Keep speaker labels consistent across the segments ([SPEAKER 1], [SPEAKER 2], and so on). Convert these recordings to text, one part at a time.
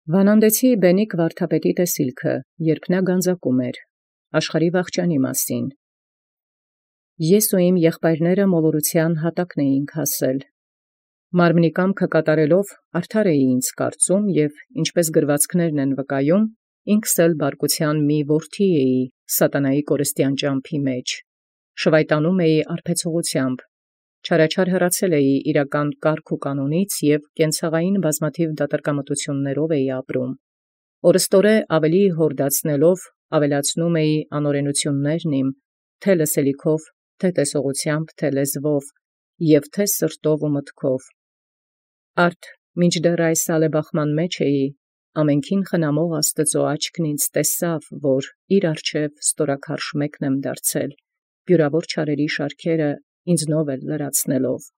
[SPEAKER 1] Վանանդեցի բենիկ վարդապետի տեսիլքը, երբ նա գանձակում էր, աշխարհի վախճանի մասին։ Ես ու իմ եղբայրները մոլորութեան հատակն էինք հասել։ Մարմնի կամքը կատարելով արդար էի ինձ կարծում և ինչպես գրվածքներն են վկայում, ինքս էլ բարկութեան մի որդի էի սատանայի կորստյան ճամփի մեջ, շվայտանում էի արբեցողութեամբ, չարաչար հեռացել էի իրական կարգ ու կանոնից և կենցաղային բազմաթիվ դատարկամտություններով էի ապրում, օրըստօրե ավելի հորդացնելով ավելացնում էի անօրենութիւններն իմ, թե լսելիքով, թե տեսողութեամբ, թե լեզվով, և թե սրտով ու մտքով։ Արդ մինչդեռ այս ալեբախման մեջ էի, ամենքին խնամող Աստուծոյ աչքն ինձ տեսաւ, որ իր առջև ստորաքարշ մեկն եմ դարձել, բյուրավոր չարերի շարքերը ինձնով էլ լրացնելով։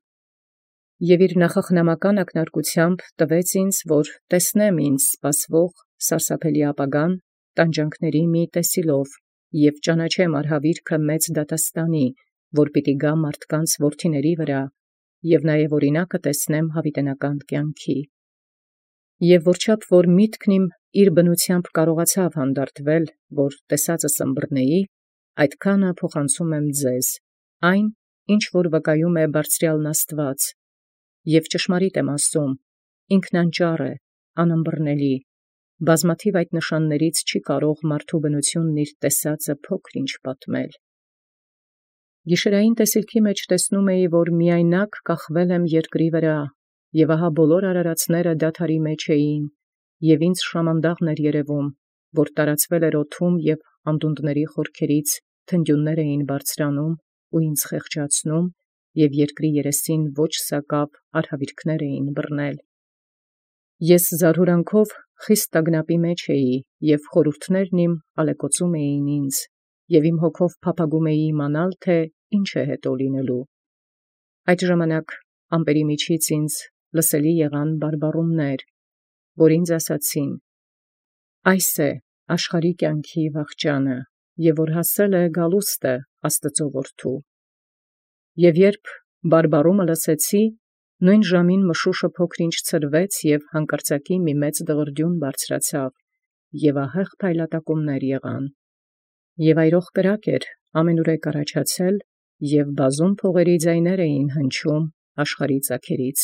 [SPEAKER 1] Եւ իր նախախնամական ակնարկութեամբ տվեց ինձ, որ տեսնեմ ինձ սպասվող սարսափելի ապագան տանջանքների մի տեսիլով և ճանաչեմ արհավիրքը մեծ դատաստանի, որ պիտի գա մարդկանց որդիների վրա, և նաև օրինակը տեսնեմ յաւիտենական կյանքի։ Եւ որչափ որ միտքն իմ իր բնութեամբ կարողացավ հանդարտվել, որ տեսածս ըմբռնեի, այդքանը փոխանցում եմ ձեզ, այն, ինչ որ վկայում է բարձրյալն Աստուած, և ճշմարիտ եմ ասում, ինքն անճառ է, անըմբռնելի, բազմաթիւ այդ նշաններից չի կարող մարդու բնութիւնն իր տեսածը փոքր ինչ պատմել։ Գիշերային տեսիլքի մեջ տեսնում էի, որ միայնակ կախվել եմ երկրի վրա, և ահա բոլոր արարածները դադարի մեջ էին, և ինձ շամանդաղն էր երևում, որ տարածվել էր օդում և անդունդների խորքերից թնդյուններ էին բարձրանում ու ինձ խեղճացնում, և երկրի երեսին ոչ սակավ արհավիրքներ էին բռնել։ Ես զարհուրանքով խիստ տագնապի մեջ էի, և խորհուրդներն իմ ալեկոծում էին ինձ, և իմ հոգով փափագում էի իմանալ, թե ինչ է հետո լինելու։ Այդ ժամանակ ամպերի միջից ինձ լսելի եղան բարբառումներ, որ ինձ ասացին. «Այս է աշխարհի կյանքի վախճանը, և որ հասել է գալուստը Աստուծոյ որդու»։ Եւ երբ բարբառումը լսեցի, նոյն ժամին մշուշը փոքր-ինչ ցրվեց և հանկարծակի մի մեծ դղրդյուն բարձրացավ, և ահեղ փայլատակումներ եղան։ Եւ այրող կրակ էր ամենուրեք առաջացել, և բազում փողերի ձայներ էին հնչում աշխարհի ծագերից։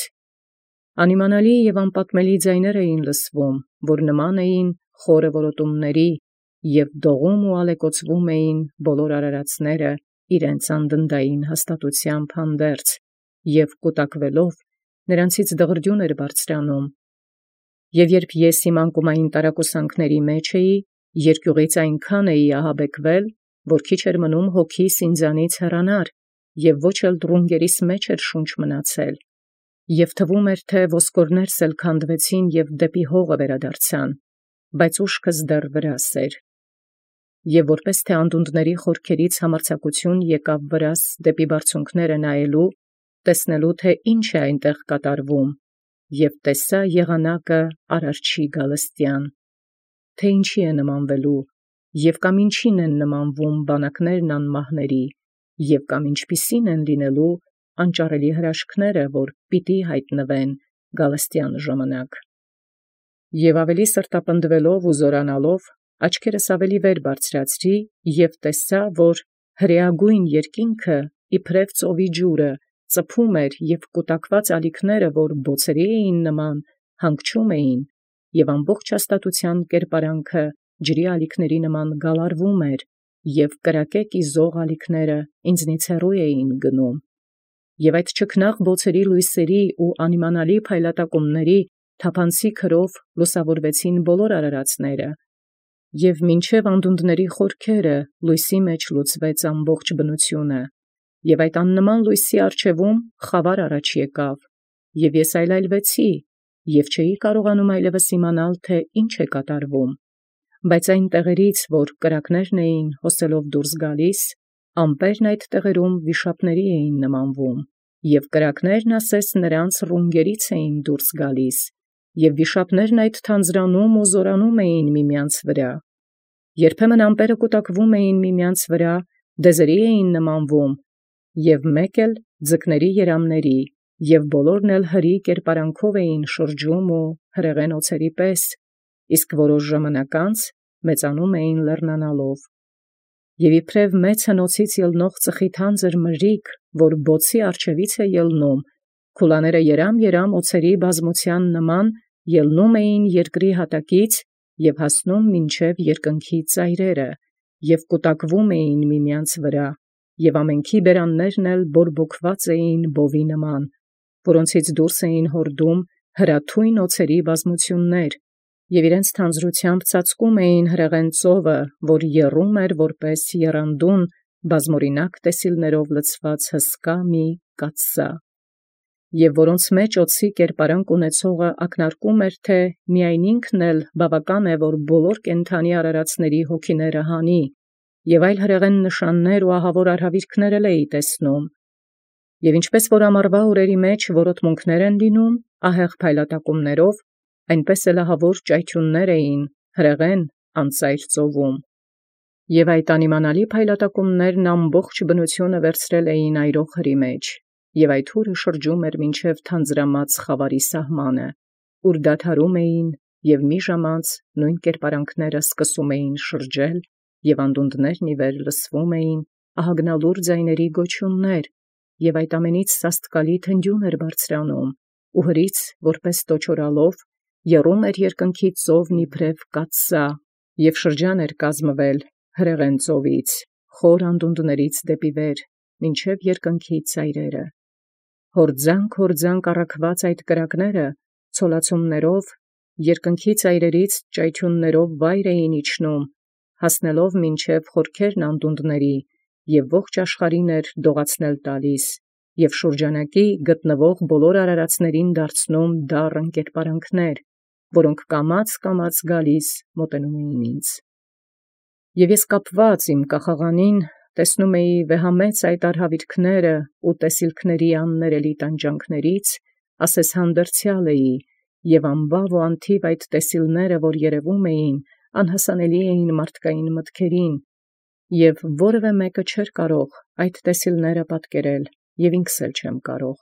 [SPEAKER 1] Անիմանալի և անպատմելի ձայներ էին լսվում, որ նման էին խորը որոտումների, և դողում ու ալեկոծվում էին բոլոր արարածները իրենց անդնդային հաստատութեամբ հանդերձ, և կուտակուելով նրանցից դղրդյուն էր բարձրանում։ Եւ երբ ես իմ անկումային տարակուսանքների մեջ էի, երկյուղից այնքան էի ահաբեկվել, որ քիչ էր մնում հոգիս ինձանից հեռանար, և ոչ էլ ռունգերիս մեջ էր շունչ մնացել, և թվում էր, թե ոսկորներս էլ քանդվեցին և դեպի հողը վերադարձան, բայց ուշքս դեռ վրաս էր։ Եվ որպես թե անդունդների խորքերից համարձակություն եկավ վրաս դեպի բարձունքները նայելու, տեսնելու, թե ինչ է այնտեղ կատարվում, և տեսա եղանակը արարչի գալստյան, թե ինչի է նմանվելու, և կամ ինչին են նմանվում բանակներն անմահների, և կամ ինչպիսին են լինելու անճառելի հրաշքները, որ պիտի հայտնվեն գալստյան ժամանակ։ Եւ ավելի սրտապնդվելով ու զորանալով, աչքերս ավելի վեր բարձրացրի և տեսա, որ հրեագույն երկինքը իբրև ծովի ջուրը ծփում էր, և կուտակված ալիքները, որ բոցերի էին նման, հանգչում էին, և ամբողջ հաստատութեան կերպարանքը ջրի ալիքների նման գալարվում էր, և կրակե կիզող ալիքները ինձնից հեռու էին գնում։ Եւ այդ չքնաղ բոցերի լույսերի ու անիմանալի փայլատակումների թափանցիկ հրով լուսավորվեցին բոլոր արարածները, և մինչև անդունդների խորքերը լույսի մեջ լուծվեց ամբողջ բնությունը, և այդ աննման լույսի առջևում խավար առաջ եկավ, և ես այլայլվեցի, և չէի կարողանում այլևս իմանալ, թե ինչ է կատարվում, բայց այն տեղերից, որ կրակներն էին հոսելով դուրս գալիս, ամպերն այդ տեղերում վիշապների էին նմանվում, և կրակներն ասես նրանց ռունգերից էին դուրս գալիս, և վիշապներն այդ թանձրանում ու զորանում էին միմյանց վրա։ Երբեմն ամպերը կուտակվում էին միմյանց վրա, դեզերի էին նմանվում, և մեկ էլ ձկների երամների, և բոլորն էլ հրի կերպարանքով էին շրջում ու հրեղեն օձերի պես, իսկ որոշ ժամանակ անց մեծանում էին լեռնանալով։ Եւ իբրև մեծ հնոցից ելնող ծխի թանձր մրրիկ, որ բոցի առջևից է ելնում, քուլաները երամ օձերի բազմության նման ելնում էին երկրի հատակից եւ հասնում մինչև երկնքի ծայրերը, եւ կուտակվում էին միմյանց վրա, եւ ամենքի բերաններն էլ բորբոքված էին բովի նման, որոնցից դուրս էին հորդում հրաթույն օձերի բազմություններ, եւ իրենց թանձրությամբ ծածկում էին հրեղեն ծովը, որ եռում էր որպես եռանդուն բազմօրինակ տեսիլներով լցված հսկա մի կաթսա, եւ որոնց մեջ օձի կերպարանք ունեցողը ակնարկում էր, թե միայն ինքն էլ բավական է, որ բոլոր կենդանի արարածների հոգիները հանի, եւ այլ հրեղեն նշաններ ու ահավոր արհավիրքներ էի տեսնում, եւ ինչպես որ ամառվա օրերի մեջ որոտմունքներ են լինում ահեղ փայլատակումներով, այնպես էլ ահավոր ճայթյուններ էին հրեղեն անծայր ծովում, եւ այդ անիմանալի փայլատակումներն ամբողջ բնությունը վերցրել էին այրող հրի մեջ, եւ այդ հուրը շրջում էր մինչև թանձրամած խավարի սահմանը, ուր դադարում էին, եւ մի ժամանց նույն կերպարանքները սկսում էին շրջել, եւ անդունդներն ի վեր լսվում էին ահագնալուր ձայների գոչյուններ, եւ այդ ամենից սաստկալի թնդյուն էր բարձրանում, ու հրից, որպես տոչորալով, եռում էր երկնքի ծովն իբրև կաթսա, եւ շրջան էր կազմվել հրեղեն ծովից, խոր անդունդներից դեպի վեր, մինչև երկնքի ծայրերը։ Հորձանք առաքված այդ կրակները ցոլացումներով երկնքի ծայրերից ճայթյուններով վայր էին իջնում, հասնելով մինչև խորքերն անդունդների, եւ ողջ աշխարհին էր դողացնել տալիս, եւ շուրջանակի գտնվող բոլոր արարածներին դարձնում դառն կերպարանքներ, որոնք կամաց գալիս մոտենում էին ինձ։ Եւ ես կապված իմ կախաղանին տեսնում էի վեհամեծ այդ արհավիրքները ու տեսիլքների աններելի տանջանքներից, ասես հանդերձյալ էի, եւ անբավ ու անթիվ այդ տեսիլները, որ երևում էին, անհասանելի էին մարդկային մտքերին, եւ որևէ մեկը չէր կարող այդ տեսիլները պատկերել, եւ ինքս էլ չեմ կարող,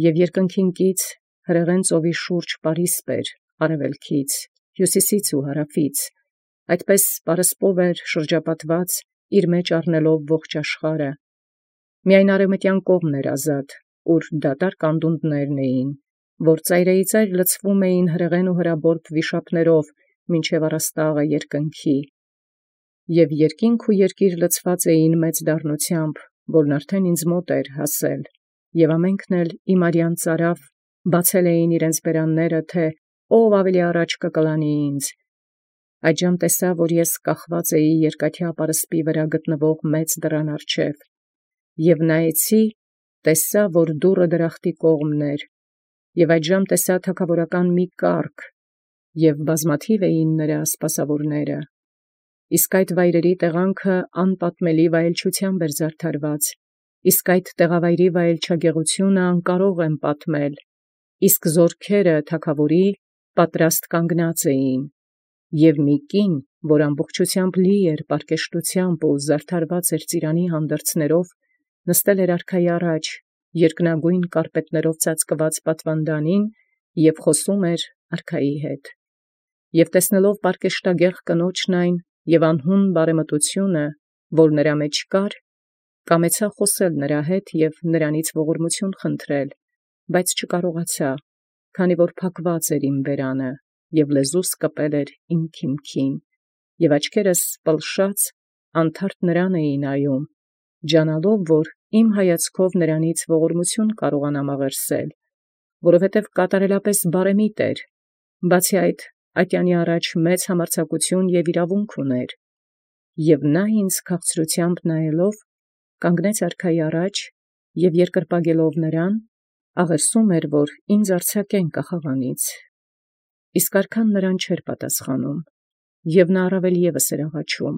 [SPEAKER 1] եւ երկնքին կից հրեղեն ծովի շուրջ պարիսպ էր արևելքից, հյուսիսից ու հարավից, այդպես պարսպով էր շրջապատված իր մեջ առնելով ողջ աշխարհը, միայն արևմտյան կողմն էր ազատ, ուր դատարկ անդունդներն էին, որ ծայրիծայր լցվում էին հրեղեն ու հրաբորբ վիշապներով, մինչև առաստաղը երկնքի, եւ երկինք ու երկիր լցված էին մեծ դառնությամբ, որն արդեն ինձ մոտ էր հասել, եւ ամենքն էլ իմ արյան ծարավ բացել էին իրենց բերանները, թե ով ավելի առաջ կկլանի ինձ։ Այժմ տեսա, որ ես կախված էի երկաթյա պարսպի վրա գտնվող մեծ դռան առջև, եւ նայեցի, տեսա, որ դուռը դրախտի կողմն էր, եւ այժմ տեսա թագավորական մի կառք, եւ բազմաթիվ էին նրա սպասավորները, իսկ այդ վայրերի տեղանքը անպատմելի վայելչությամբ էր զարդարված, իսկ այդ տեղավայրի վայելչագեղությունը անկարող եմ պատմել, իսկ զորքերը թագավորի պատրաստ կանգնած էին, եւ մի կին, որ ամբողջությամբ լի էր պարկեշտությամբ ու զարդարված էր ծիրանի հանդերձներով, նստել էր արքայի առաջ, երկնագույն կարպետներով ծածկված պատվանդանին եւ խոսում էր արքայի հետ, եւ տեսնելով պարկեշտագեղ կնոջն այն եւ անհուն բարեմտությունը, որ նրա մեջ կար, կամեցա խոսել նրա հետ եւ նրանից ողորմություն խնդրել, բայց չկարողացա, քանի որ փակված էր իմ բերանը, եւ լեզուս կպել էր իմ քիմքին, եւ աչքերս պլշած անթարթ նրան էին նայում, ջանալով, որ իմ հայացքով նրանից ողորմություն կարողանամ աղերսել, որովհետև կատարելապես բարեմիտ էր, բացի այդ ատյանի առաջ մեծ համարձակություն եւ իրավունք ուներ, եւ նա ինձ քաղցրությամբ նայելով, կանգնեց արքայի առաջ եւ երկրպագելով նրան, աղերսում էր, որ ինձ արձակեն կախաղանից, իսկ արքան նրան չէր պատասխանում, եւ նա առավել եւս էր աղաչում,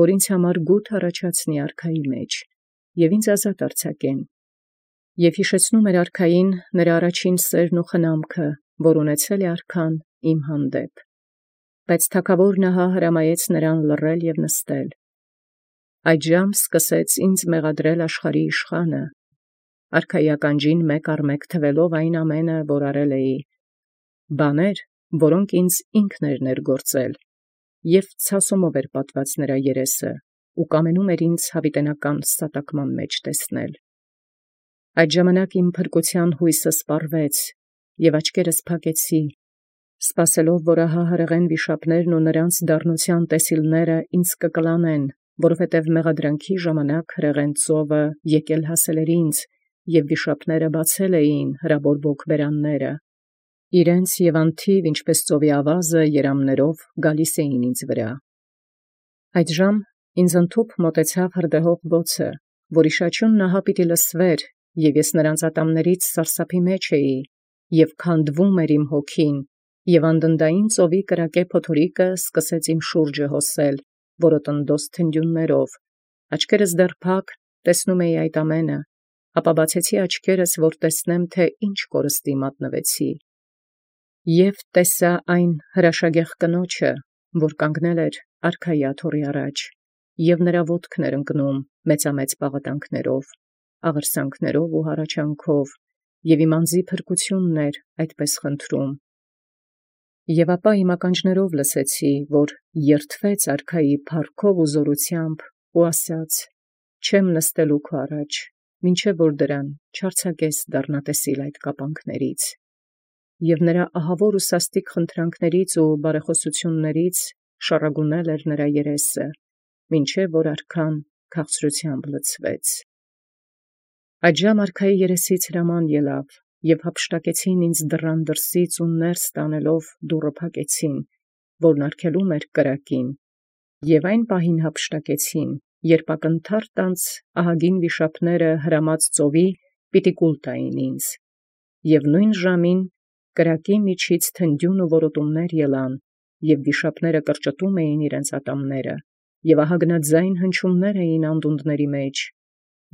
[SPEAKER 1] որ ինձ համար գութ առաջացնի արքայի մեջ, եւ ինձ ազատ արձակեն, եւ հիշեցնում էր արքային նրա առաջին սերն ու խնամքը, որ ունեցել է արքան իմ հանդեպ, բայց թագավորն ահա հրամայեց նրան լռել եւ նստել, այժմ սկսեց ինձ մեղադրել աշխարհի իշխանը, արքայի ականջին մեկ առ մեկ թվելով այն ամենը, որ արել էի, բաներ, որոնք ինձ ինքներն գործել, և ցասումով պատված նրա երեսը, ու կամենում ինձ հավիտենական ստատակման մեջ տեսնել։ Այդ ժամանակ իմ փրկության հույսը սպառվեց, և աչքերս փակեցի, սպասելով, որ ահա հրեղեն վիշապներն ու նրանց դառնության տեսիլները ինձ կկլանեն, որովհետև մեղադրանքի ժամանակ հրեղեն ծովը եկել հասել էր ինձ, և վիշապները բացել էին հրաբորբոք բերանները, իրենց և անթիվ, ինչպես ծովի ավազը, երամներով գալիս էին ինձ վրա։ Այդժամ ինձ ընդཐուփ մոտեցավ հրդեհող բոցը, որի շաչյունն ահա պիտի լսվեր, և ես նրանց ատամներից սարսափի մեջ էի, և քանդվում էր իմ հոգին, և անդնդային ծովի կրակե փոթորիկը սկսեց իմ շուրջը հոսել, որոտնդոս թնդյուններով, աչքերս դեռ փակ, տեսնում էի այդ ամենը, ապա բացեցի աչքերս, որ տեսնեմ, թե ինչ կորստի մատնվեցի, և տեսա այն հրաշագեղ կնոջը, որ կանգնել էր արքայի աթոռի առաջ, և նրա ոտքն էր ընկնում մեծամեծ պաղատանքներով, աղերսանքներով ու հառաչանքով, և իմ անձի փրկությունն էր այդպես խնդրում։ Եւ ապա իմ ականջներով լսեցի, որ երդվեց արքայի փառքով ու զորությամբ, ու ասաց. «Չեմ նստելու քո առաջ, մինչև որ դրան չարձակես դառնատեսիլ այդ կապանքներից»։ Եվ նրա ահավոր ու սաստիկ խնդրանքներից ու բարեխոսություններից շառագունել էր նրա երեսը, մինչև որ արքան քաղցրությամբ լցվեց։ Այդժամ արքայի երեսից հրաման ելավ, և հափշտակեցին ինձ դռան դրսից ու ներս տանելով դուռը փակեցին, որն արգելում էր կրակին, և այն պահին հափշտակեցին, երբ ակնթարթ ահագին վիշապները հրամած ծովի պիտի կուլ տային ինձ, և նույն ժամին կրակի միջից թնդյուն ու որոտումներ ելան, և վիշապները կրճտում էին իրենց ատամները, և ահագնաձայն հնչյուններ էին անդունդների մեջ,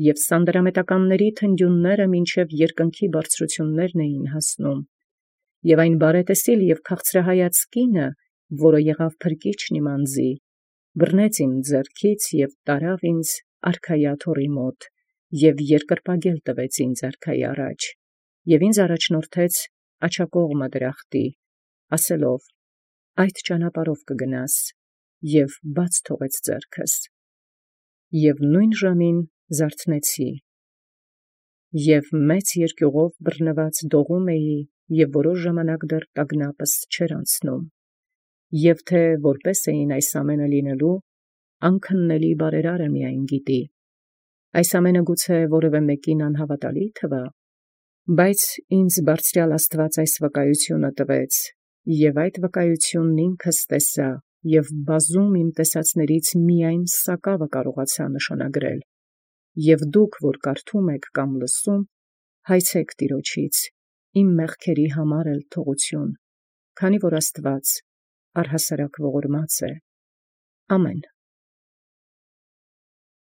[SPEAKER 1] և սանդրամետականների թնդյունները մինչև երկնքի բարձրություններն էին հասնում, և այն բարետեսիլ և քաղցրահայաց կինը, որը եղավ փրկիչն իմ անձի, բռնեց իմ ձեռքից և տարավ ինձ արքայի աթոռի մոտ, և երկրպագել տվեց ինձ արքայի առաջ, և ինձ առաջնորդեց աջակողմը դրախտի, ասելով. «Այդ ճանապարհով կգնաս», և բաց թողեց ձեռքս, և նույն ժամին զարթնեցի, և մեծ երկյուղով բռնված դողում էի, և որոշ ժամանակ դեռ տագնապս չէր անցնում, և թե որպես էին այս ամենը լինելու, անքննելի բարերարը միայն գիտի։ Այս ամենը գուցե որևէ մեկին անհավատալի թվա, բայց ինձ բարձրյալ Աստված այս վկայությունը տվեց, և այդ վկայությունն ինքս տեսա, և բազում իմ տեսածներից միայն սակավը կարողացա նշանագրել, և դուք, որ կարդում եք կամ լսում, հայցեք Տիրոջից, իմ մեղքերի համար էլ թողություն, քանի որ Աստված առհասարակ ողորմած է։ Ամեն։